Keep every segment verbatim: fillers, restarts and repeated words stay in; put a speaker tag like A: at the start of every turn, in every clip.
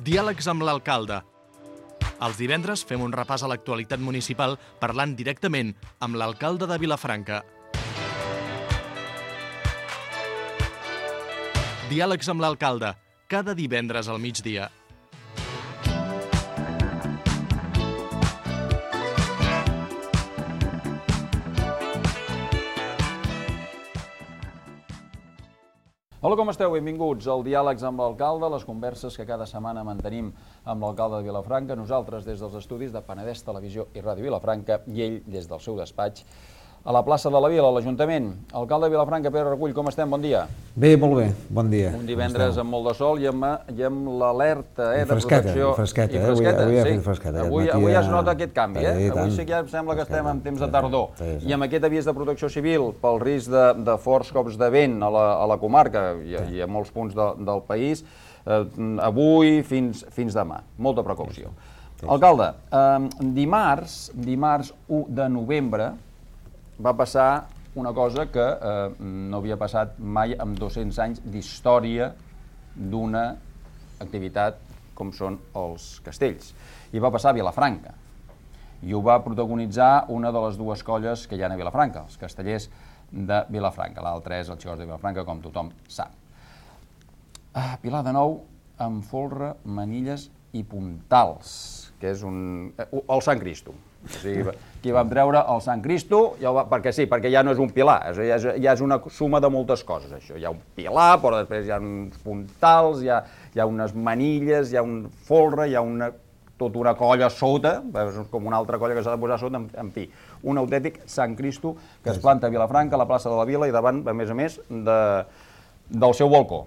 A: Diàlegs amb l'alcalde. Els divendres fem un repàs a l'actualitat municipal parlant directament amb l'alcalde de Vilafranca. Diàlegs amb l'alcalde, cada divendres al migdia.
B: Hola, com esteu? Benvinguts al Diàlegs amb l'alcalde, les converses que cada setmana mantenim amb l'alcalde de Vilafranca, nosaltres des dels estudis de Penedès Televisió i Ràdio Vilafranca i ell des del seu despatx a la plaça de la Vila, a l'Ajuntament. Alcalde de Vilafranca, Pere Recull, com estem? Bon dia.
C: Bé, molt bé, bon dia.
B: Un divendres amb molt de sol i amb, i amb l'alerta eh, de
C: fresqueta,
B: protecció.
C: Fresqueta,
B: I fresqueta,
C: avui, avui
B: sí.
C: ha fet fresqueta.
B: Avui, avui ja es nota aquest canvi, eh?
C: Sí,
B: avui sí que ja sembla que estem en temps de tardor. Sí, sí. I amb aquest avís de protecció civil pel risc de, de forts cops de vent a la, a la comarca i, sí. i a molts punts de, del país, eh, avui fins, fins demà. Molta precaució. Sí, sí. Alcalde, eh, dimarts, dimarts u de novembre, va passar una cosa que eh, no havia passat mai en dos-cents anys d'història d'una activitat com són els castells. I va passar a Vilafranca. I ho va protagonitzar una de les dues colles que hi ha a Vilafranca, els castellers de Vilafranca. L'altre és el Xicots de Vilafranca, com tothom sap. Ah, Pilar de Nou amb folre, manilles i puntals, que és un... el Sant Cristo. O sigui, aquí vam treure el Sant Cristo, ja va, perquè sí, perquè ja no és un pilar, ja és, ja és una suma de moltes coses, això. Hi ha un pilar, però després hi ha uns puntals, hi ha, hi ha unes manilles, hi ha un folre, hi ha una, tota una colla sota, com una altra colla que s'ha de posar sota, en, en fi, un autèntic Sant Cristo que es planta a Vilafranca, a la plaça de la Vila, i davant, a més a més, de, del seu balcó.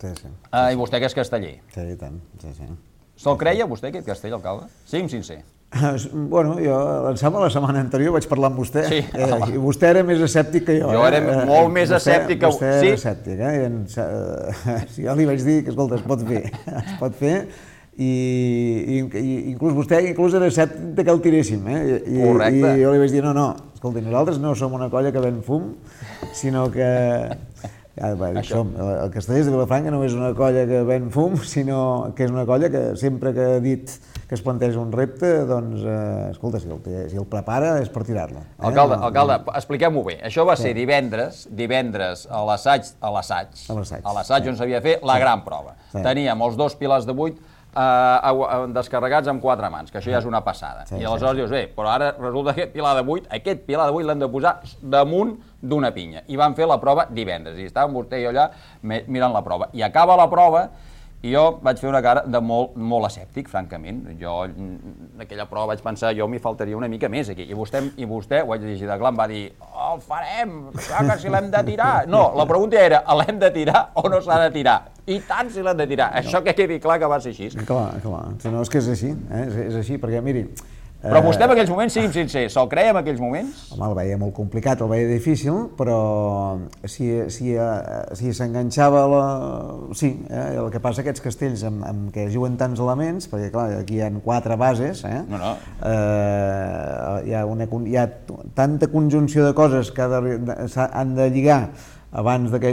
C: Sí, sí.
B: Ah, I vostè que és casteller.
C: Sí, i tant, sí, sí.
B: Se'l creia, vostè, aquest castell, alcalde? Sigui'm sincer.
C: Bueno, jo, em sembla, la setmana anterior vaig parlar amb vostè,
B: sí,
C: eh, i vostè era més escèptic que jo.
B: Jo era
C: eh?
B: molt més
C: vostè,
B: escèptic que...
C: Vostè
B: sí?
C: era escèptic, eh? I en, eh? Jo li vaig dir que, escolta, es pot fer, es pot fer, i, i, i inclús vostè inclús era escèptic que el tiréssim, eh? I,
B: correcte.
C: I jo li vaig dir, no, no, escolta, nosaltres no som una colla que ven fum, sinó que... Ja, bé, som, el Castellers de Vilafranca no és una colla que ven fum, sinó que és una colla que sempre que ha dit que es planteja un repte, doncs, eh, escolta, si el, si el prepara és per tirar-lo. Eh?
B: Alcalde, alcalde, expliquem-ho bé. Això va ser divendres, divendres a l'assaig, a l'assaig, a l'assaig on s'havia de fer la gran prova. Teníem els dos pilars de vuit Uh, descarregats amb quatre mans, que això ja és una passada. Sí, I aleshores sí, dius, bé, però ara resulta que aquest pilar de vuit, aquest pilar de vuit l'hem de posar damunt d'una pinya. I vam fer la prova divendres, i estàvem vostè i jo allà mirant la prova. I acaba la prova, i jo vaig fer una cara de molt, molt escèptic, francament. Jo, en aquella prova vaig pensar, jo m'hi faltaria una mica més aquí. I vostè, i vostè ho vaig llegir de clar, em va dir, oh, el farem, clar que si l'hem de tirar. No, la pregunta era, l'hem de tirar o no s'ha de tirar? I tant si l'hem de tirar. Això que quedi clar que va ser així.
C: Clar, clar. No, és que és així, eh? és, és així, perquè miri...
B: Però vostè en aquells moments, sigui'm sincer, se'l creia en aquells moments?
C: Home, el veia molt complicat, el veia difícil, però si, si, si s'enganxava la... Sí, eh? El que passa aquests castells amb, amb què juguen tants elements, perquè clar, aquí hi ha quatre bases, eh?
B: No, no.
C: Eh, hi, ha una, hi ha tanta conjunció de coses que han de lligar abans de que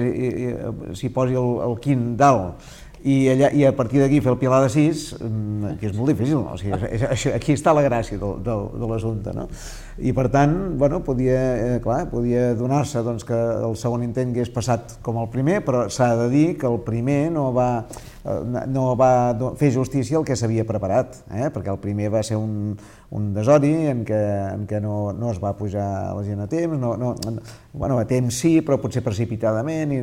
C: s'hi posi el, el quint dalt, I, allà, i a partir d'aquí fer el pilar de sis, que és molt difícil, no? O sigui, això, aquí està la gràcia del, del, de l'assumpte, no? I per tant, bueno, podia, eh, clar, podia donar-se doncs, que el segon intent hagués passat com el primer, però s'ha de dir que el primer no va, eh, no va fer justícia al que s'havia preparat, eh? Perquè el primer va ser un, un desori en què, en què no, no es va pujar la gent a temps, no, no, bueno, a temps sí, però potser precipitadament, i,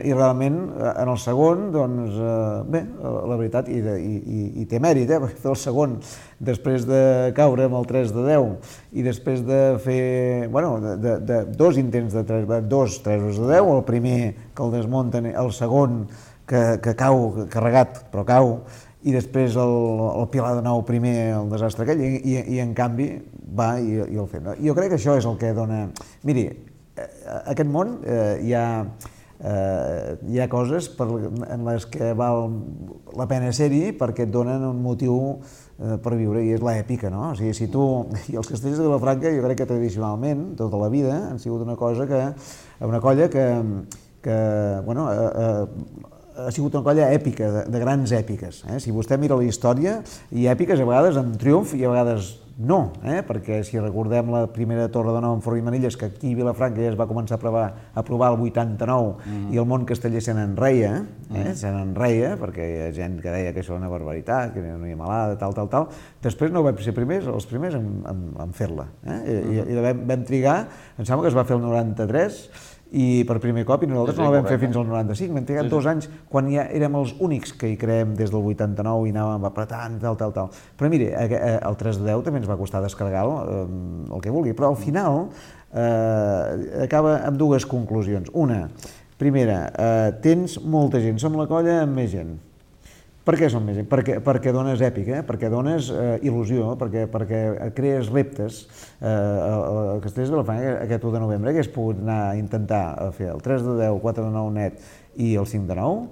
C: i realment en el segon, doncs, eh, bé, la veritat, i, de, i, i té mèrit, eh? Perquè fer el segon després de caure amb el tres de deu i després de fer, bueno, de, de, de dos intents de tres, dos tresos de deu, el primer que el desmunten, el segon que, que cau carregat, però cau, i després el, el pilar de nou primer, el desastre aquell, i, i, i en canvi va i, i el fet. Jo crec que això és el que dona... Miri, a aquest món eh, hi ha... Uh, hi ha coses per, en les que val la pena ser-hi perquè et donen un motiu uh, per viure, i és l'èpica, no? O sigui, si tu... I els castells de Vilafranca, jo crec que tradicionalment, tota la vida, han sigut una cosa que... una colla que, que bueno, uh, uh, ha sigut una colla èpica, de, de grans èpiques. Eh? Si vostè mira la història, hi ha èpiques a vegades amb triomf i a vegades no, eh? Perquè si recordem la primera Torre de Nou en Forn i Manilles, que aquí a Vilafranca ja es va començar a provar, a provar el vuitanta-nou, mm. i el món casteller se n'enreia, eh? mm. se n'enreia, perquè hi ha gent que deia que això era una barbaritat, que no hi ha malada, tal, tal, tal. Després no vam ser primers, els primers en, en, en fer-la. Eh? I, mm. i vam, vam trigar, em sembla que es va fer el noranta-tres, i per primer cop, i nosaltres sí, sí, no la vam correcte. fer fins al noranta-cinc, vam trigar sí, dos sí. anys quan ja érem els únics que hi creem des del vuitanta-nou i anàvem apretant, tal, tal, tal. Però mire, el tres de deu també ens va costar descarregar el, el que vulgui, però al final eh, acaba amb dues conclusions. Una, primera, eh, tens molta gent, som la colla amb més gent. Per què som més gent? Perquè, perquè dones èpica, eh? perquè dones eh, il·lusió, perquè, perquè crees reptes. Eh, el Castellers de Vilafranca, aquest u de novembre, hagués pogut anar a intentar fer el tres de deu, quatre de nou net i el cinc de nou,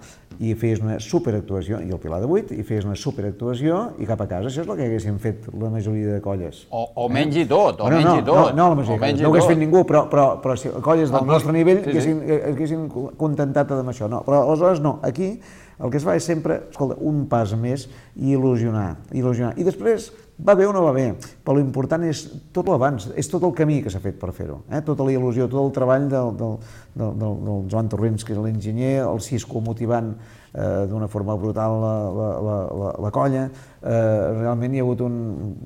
C: i feies una superactuació, i el Pilar de vuit, i feies una superactuació, i cap a casa. Això és el que haguessin fet la majoria de colles.
B: O, o menys i tot, o
C: bueno,
B: menys
C: no,
B: i tot.
C: No, no, la majoria, no ho hagués fet ningú, però, però, però si colles del
B: el
C: nostre nivell
B: sí, sí.
C: haguessin, haguessin contentat amb això. No, però aleshores no, aquí el que es fa és sempre, escolta, un pas més i il·lusionar, il·lusionar. I després, va bé o no va bé, però l'important és tot l'abans, és tot el camí que s'ha fet per fer-ho, eh? Tota la il·lusió, tot el treball del, del, del, del, del Joan Torrents, que és l'enginyer, el Cisco motivant eh, d'una forma brutal la, la, la, la, la colla, eh, realment hi ha hagut un,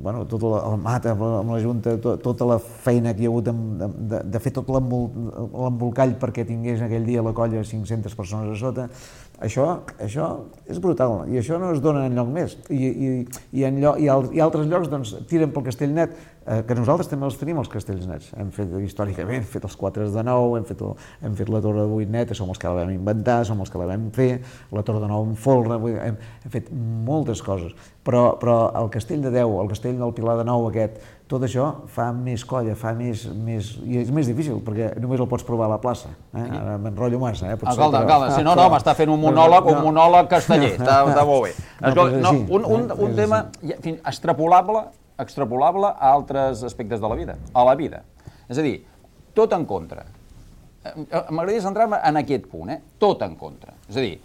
C: bueno, tot el, el Mata amb la Junta, to, tota la feina que hi ha hagut de, de, de fer tot l'embolcall perquè tingués aquell dia la colla cinc-centes persones a sota. Això, això és brutal, i això no es dona enlloc més. I, i, i, en lloc, i, al, i altres llocs doncs, tiren pel castell net, eh, que nosaltres també els tenim, els castells nets. Hem fet històricament, hem fet els quatre de nou, hem fet, el, hem fet la Torre de vuit net, som els que la vam inventar, som els que la vam fer, la Torre de nou en folre, hem, hem fet moltes coses. Però, però el castell de deu, el castell del Pilar de nou aquest, tot això fa més colla, fa més, més... i és més difícil, perquè només el pots provar a la plaça. Eh? Ara m'enrotllo massa, eh? Potser,
B: alcalde,
C: però...
B: alcalde, si no, no, m'està fent un monòleg, un monòleg casteller, està, està molt bé. Escolta, no, un, un, un tema extrapolable, extrapolable a altres aspectes de la vida, a la vida. És a dir, tot en contra. M'agradaria centrar-me en aquest punt, eh? Tot en contra. És a dir,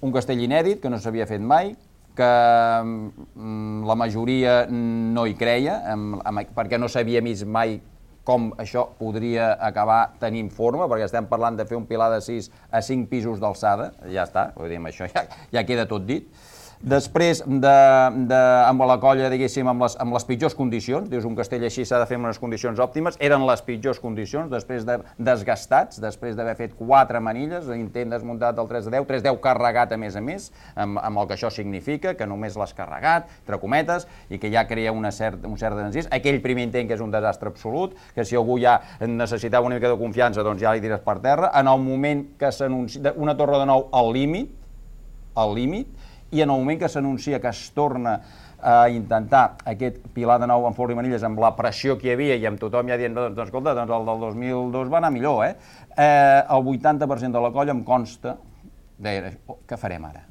B: un castell inèdit que no s'havia fet mai, que la majoria no hi creia, perquè no s'havia vist mai com això podria acabar tenint forma, perquè estem parlant de fer un pilar de sis a cinc pisos d'alçada, ja està, vull dir, això ja, ja queda tot dit. Després, de, de, amb la colla, diguéssim, amb les, amb les pitjors condicions, dius, un castell així s'ha de fer en unes condicions òptimes, eren les pitjors condicions, després de desgastats, després d'haver fet quatre manilles, intent desmuntat del tres de deu, tres de deu carregat a més a més, amb, amb el que això significa, que només l'has carregat, entre cometes, i que ja crea una cert, un cert desencís. Aquell primer intent que és un desastre absolut, que si algú ja necessitava una mica de confiança, doncs ja li tires per terra. En el moment que s'anuncia una Torre de Nou al límit, al límit, i en el moment que s'anuncia que es torna a intentar aquest Pilar de Nou en Forn i Manilles amb la pressió que hi havia i amb tothom ja dient, doncs escolta, doncs el del dos mil dos va anar millor, eh? eh el vuitanta per cent de la colla em consta, deia, oh, què farem ara?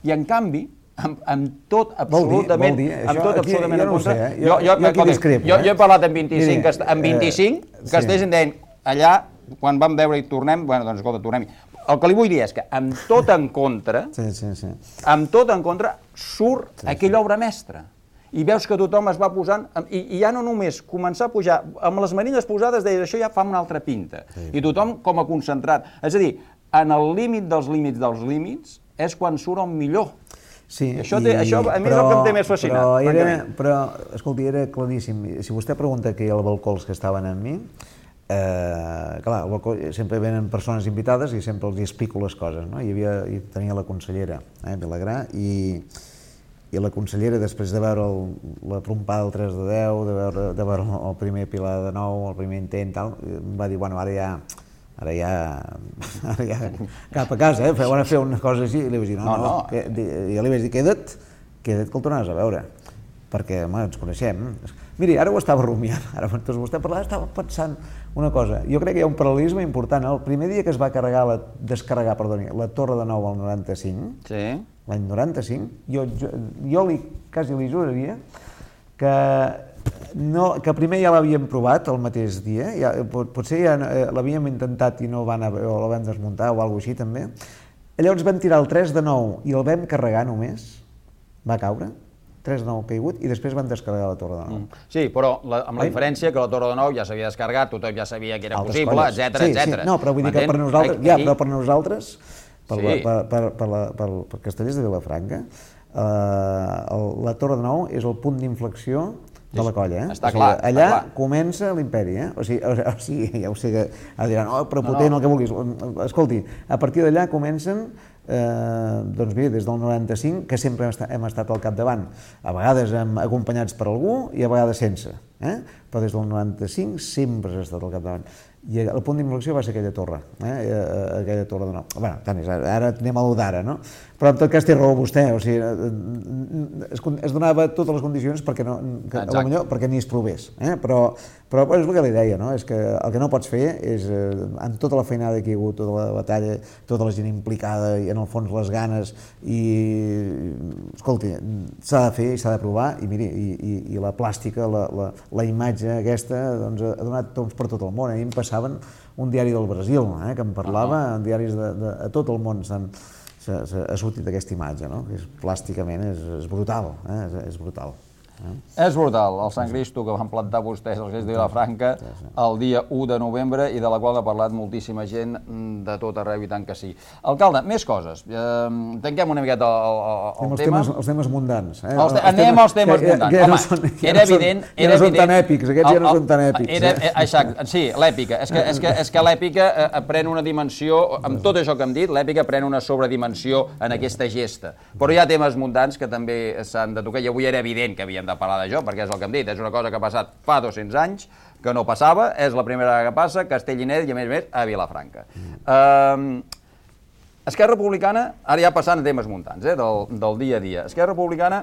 B: I en canvi, amb, amb tot absolutament...
C: Vol dir, vol dir.
B: Amb tot
C: aquí,
B: absolutament
C: jo no
B: en contra...
C: Sé, eh? Jo, jo, jo, jo, discrepo,
B: jo,
C: eh?
B: jo he parlat amb vint-i-cinc, Mira, cast... amb vint-i-cinc eh, castells sí. em deien, allà, quan vam veure i tornem, bueno, doncs escolta, tornem-hi. El que li vull dir és que amb tot en contra,
C: sí, sí, sí.
B: amb tot en contra, surt sí, aquella obra mestra. I veus que tothom es va posant, i, i ja no només començar a pujar, amb les manilles posades deies, això ja fa una altra pinta. Sí, I tothom com a concentrat. És a dir, en el límit dels límits dels límits és quan surt el millor.
C: Sí,
B: això, té, i, això a mi però, és el que em té més fascinat.
C: Però, era, però, escolti, era claríssim. Si vostè pregunta que hi ha els balcols que estaven amb mi, Eh, clar, al balcó sempre venen persones invitades i sempre els explico les coses, no? Hi havia, hi tenia la consellera, eh, Vilagrà, i, i la consellera, després de veure el, la trompada del tres de deu, de veure, de veure el primer Pilar de nou, el primer intent, tal, em va dir, bueno, ara ja, ara ja, ara ja cap a casa, eh, van a fer una cosa així, i li vaig dir, no, no, no, no. Que, i li vaig dir, queda't, queda't que el tornaràs a veure, perquè, home, ens coneixem. Miri, ara ho estava rumiant, ara doncs vostè parlava, estava pensant una cosa. Jo crec que hi ha un paral·lelisme important. El primer dia que es va carregar, la, descarregar, perdoni, la Torre de Nou al noranta-cinc, sí. l'any noranta-cinc, jo, jo, jo li, quasi li juraria que, no, que primer ja l'havíem provat el mateix dia, ja, potser ja l'havíem intentat i no van a, o la vam desmuntar o alguna cosa així també, Llavors vam tirar el tres de nou i el vam carregar només, va caure, tres de nou caigut, i després van descarregar la Torre de Nou.
B: Mm. Sí, però la, amb la diferència que la Torre de Nou ja s'havia descarregat, tothom ja sabia que era
C: Altres
B: possible,
C: colles.
B: etcètera,
C: Sí, sí.
B: etcètera.
C: No, però vull dir que per nosaltres, ja, però per nosaltres, per,
B: Sí.
C: la, per, per, per, la, per, per Castellers de Vilafranca, eh, el, la Torre de Nou és el punt d'inflexió de la colla, eh?
B: Està
C: O sigui,
B: clar,
C: allà
B: està clar.
C: comença l'imperi, eh? O sigui, o, o sigui, ja ho sé que ara diran, oh, prepotent, no, no. el que vulguis. Escolti, a partir d'allà comencen, eh, doncs bé, des del noranta-cinc, que sempre hem estat, hem estat al capdavant, a vegades hem acompanyats per algú i a vegades sense, eh? Però des del noranta-cinc sempre s'ha estat al capdavant. I el punt d'inflexió va ser aquella torre, eh? aquella torre de Nou. Bé, tant és, ara anem a l'u d'ara, no? Però en tot cas té raó vostè, o sigui, es, es donava totes les condicions perquè, no, que, a millor, perquè ni es provés, eh? però, però és el que li deia, no? És que el que no pots fer és, eh, amb tota la feinada que hi ha hagut, tota la batalla, tota la gent implicada i en el fons les ganes, i escolti, s'ha de fer i s'ha de provar, i miri, i, i, i la plàstica, la, la, la imatge aquesta, doncs, ha donat toms per tot el món. A mi em passaven un diari del Brasil, eh, que em parlava, uh -huh. diaris de, de, a tot el món s'han ha sortit aquesta imatge, no? Que és, plàsticament és, és brutal, eh? és, és brutal. Eh?
B: És brutal, el Sant Cristo que van plantar vostès als Reis de Vilafranca el dia u de novembre i de la qual ha parlat moltíssima gent de tot arreu i tant que sí. Alcalde, més coses. Eh, tanquem una miqueta el, el, el
C: els
B: tema.
C: Temes, els temes mundans. Eh?
B: Els te anem als temes
C: que,
B: mundans.
C: que, que
B: Home,
C: no són, que
B: era
C: no són,
B: evident...
C: Que
B: era
C: no són
B: evident,
C: tan èpics, aquests ja no són tan èpics.
B: Era,
C: eh?
B: exacte, sí, l'èpica. És que, és que, és que l'èpica eh, pren una dimensió, amb tot això que hem dit, l'èpica pren una sobredimensió en aquesta gesta. Però hi ha temes mundans que també s'han de tocar, i avui era evident que havíem de parlar d'això, perquè és el que hem dit, és una cosa que ha passat fa dos-cents anys, que no passava, és la primera vegada que passa, Castell i Net, i a més a més a Vilafranca. Mm. Uh, Esquerra Republicana, ara ja passant a temes muntants, eh, del, del dia a dia, Esquerra Republicana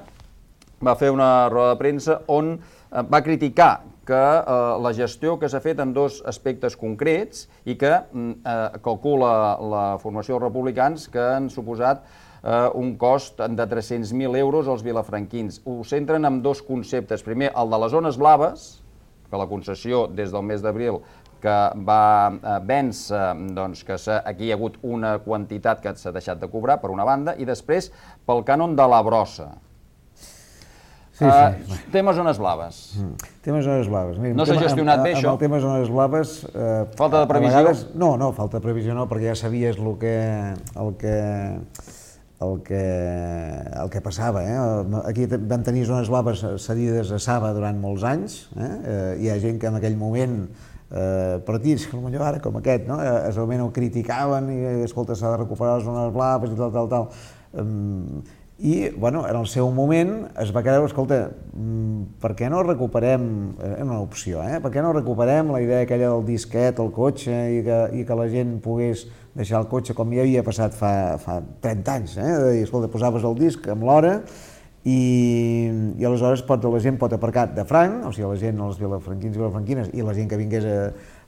B: va fer una roda de premsa on uh, va criticar que uh, la gestió que s'ha fet en dos aspectes concrets i que uh, calcula la formació dels republicans que han suposat Uh, un cost de tres-cents mil euros als vilafranquins. Ho centren en dos conceptes. Primer, el de les zones blaves, que la concessió des del mes d'abril que va uh, vèncer, doncs, que aquí hi ha hagut una quantitat que s'ha deixat de cobrar, per una banda, i després pel cànon de la brossa. Sí, sí. Uh, tema zones blaves.
C: Mm. Tema zones blaves. Mira,
B: no s'ha gestionat bé, això?
C: Amb el tema zones blaves... Eh,
B: falta de previsió?
C: Vegades, no, no, falta de previsió no, perquè ja sabies el que... El que El que, el que passava. Eh? Aquí van tenir zones blaves cedides a Saba durant molts anys. Eh? Hi ha gent que en aquell moment, eh, partits, potser ara com aquest, no? Es realment ho criticaven i, escolta, s'ha de recuperar les zones blaves i tal, tal, tal. Um, I, bueno, en el seu moment es va creure, escolta, per què no recuperem, és una opció, eh? Per què no recuperem la idea aquella del disquet, el cotxe, i que, i que la gent pogués deixar el cotxe com ja havia passat fa, fa trenta anys, eh? De dir, escolta, posaves el disc amb l'hora i, i aleshores pot, la gent pot aparcar de franc, o sigui, la gent, els vilafranquins i vilafranquines, i la gent que vingués a,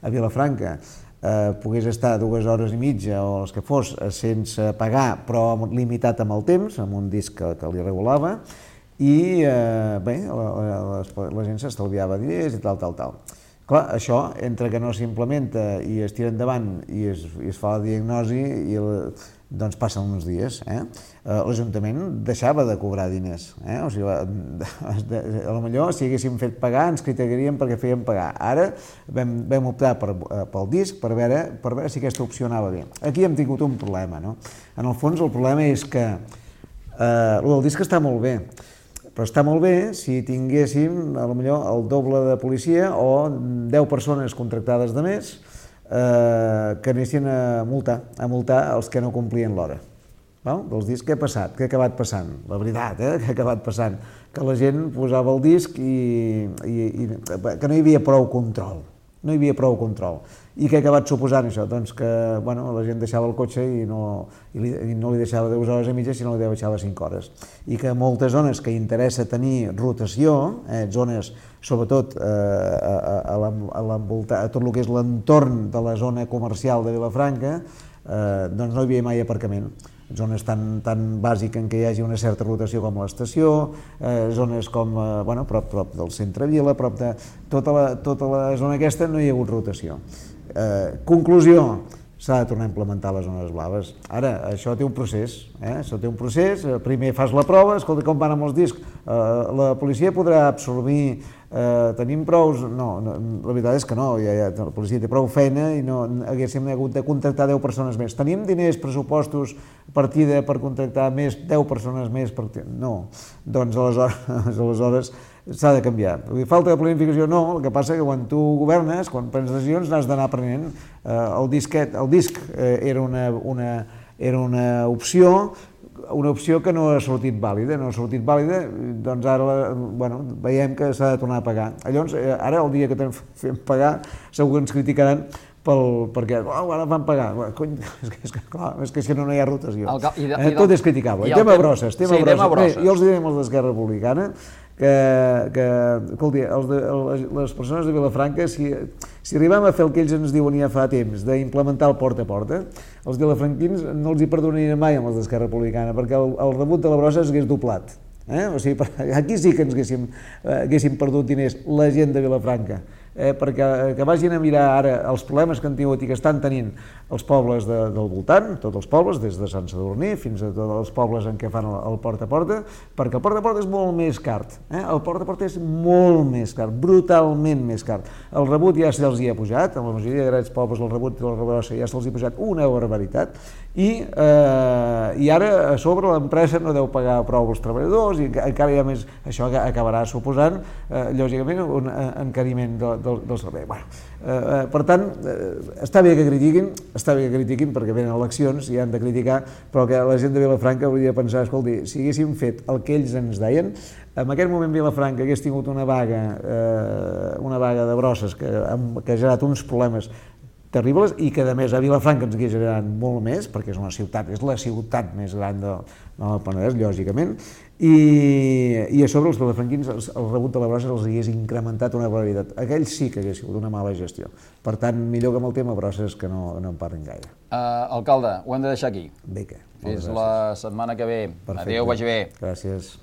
C: a Vilafranca eh, pogués estar dues hores i mitja o els que fos sense pagar, però limitat amb el temps, amb un disc que, que li regulava, i eh, bé, la, la, la gent s'estalviava diners i tal, tal, tal. Clar, això, entre que no s'implementa i es tira endavant i es, i es fa la diagnosi, i el, doncs passen uns dies. Eh? L'Ajuntament deixava de cobrar diners. Eh? O sigui, a lo millor, si haguéssim fet pagar, ens criticaríem perquè fèiem pagar. Ara vam, vam optar per, pel disc per veure, per veure si aquesta opció anava bé. Aquí hem tingut un problema. No? En el fons, el problema és que eh, el del disc està molt bé, però està molt bé si tinguéssim, potser el doble de policia o deu persones contractades de més eh, que anessin a multar, a multar els que no complien l'hora. Dels discs, què ha passat? Què ha acabat passant? La veritat, eh? Què ha acabat passant? Que la gent posava el disc i, i, i que no hi havia prou control. No hi havia prou control. I què ha acabat suposant això? Doncs que bueno, la gent deixava el cotxe i no, i li, i no li deixava dues hores i mitja, sinó li deixava cinc hores. I que moltes zones que interessa tenir rotació, eh, zones sobretot eh, a, a, a, a tot el que és l'entorn de la zona comercial de Vilafranca, eh, doncs no hi havia mai aparcament. Zones tan, tan bàsiques en què hi hagi una certa rotació com l'estació, eh, zones com, eh, bueno, prop, prop del centre Vila, prop de tota la, tota la zona aquesta no hi ha hagut rotació. Eh, conclusió, s'ha de tornar a implementar les zones blaves. Ara, això té un procés, eh? Això té un procés, primer fas la prova, escolta com van amb els discs, eh, la policia podrà absorbir, eh, tenim prous... No, no, la veritat és que no, ja, ja, la policia té prou feina i no haguéssim hagut de contractar deu persones més. Tenim diners, pressupostos, partida per contractar més, deu persones més, per... no, doncs aleshores, aleshores s'ha de canviar. Falta de planificació no, el que passa que quan tu governes, quan prens decisions, n'has d'anar prenent. El disquet, el disc era una, una, era una opció, una opció que no ha sortit vàlida, no ha sortit vàlida, doncs ara bueno, veiem que s'ha de tornar a pagar. Llavors, ara el dia que fem pagar, segur que ens criticaran pel, perquè oh, ara van pagar. Cony, és, que, és, que, clar, és que si no, no hi ha rotació. El, i de, eh, tot és criticable. I tema tem... brosses, tema sí, brosses. brosses. Bé, jo els direm els d'Esquerra Republicana que, que escolti, els de, les persones de Vilafranca, si, si arribem a fer el que ells ens diuen ja fa temps, d'implementar el porta a porta, els vilafranquins no els hi perdonarien mai amb els d'Esquerra Republicana, perquè el, el rebut de la brossa s'hagués doblat. Eh? O sigui, aquí sí que ens haguéssim, eh, haguéssim perdut diners la gent de Vilafranca. Eh, perquè que vagin a mirar ara els problemes que han tingut i que estan tenint els pobles de, del voltant, tots els pobles, des de Sant Sadurní fins a tots els pobles en què fan el, el porta a porta, perquè el porta a porta és molt més car. Eh? El porta a porta és molt més car, brutalment més car. El rebut ja se'ls hi ha pujat, a la majoria de grans pobles el rebut de la rebrossa ja se'ls hi ha pujat una barbaritat, i, eh, i ara a sobre l'empresa no deu pagar prou als treballadors i encara hi ha més, això acabarà suposant, eh, lògicament, un encariment de, del, del servei. Bueno, eh, per tant, eh, està bé que critiquin, està bé que critiquin perquè venen eleccions i han de criticar, però que la gent de Vilafranca hauria de pensar, escolti, si haguéssim fet el que ells ens deien, en aquest moment Vilafranca hagués tingut una vaga, eh, una vaga de brosses que, que ha generat uns problemes terribles i que, a més, a Vilafranca ens hagués generat molt més, perquè és una ciutat, és la ciutat més gran del, del Penedès, lògicament, i, i a sobre els vilafranquins, el, el rebut de la brossa els hagués incrementat una barbaritat. Aquells sí que hagués sigut una mala gestió. Per tant, millor que amb el tema brosses que no, no en parlin gaire.
B: Uh, alcalde, ho hem de deixar aquí.
C: Bé, què?
B: Fins la setmana que ve. Perfecte. Adéu, vagi bé.
C: Gràcies.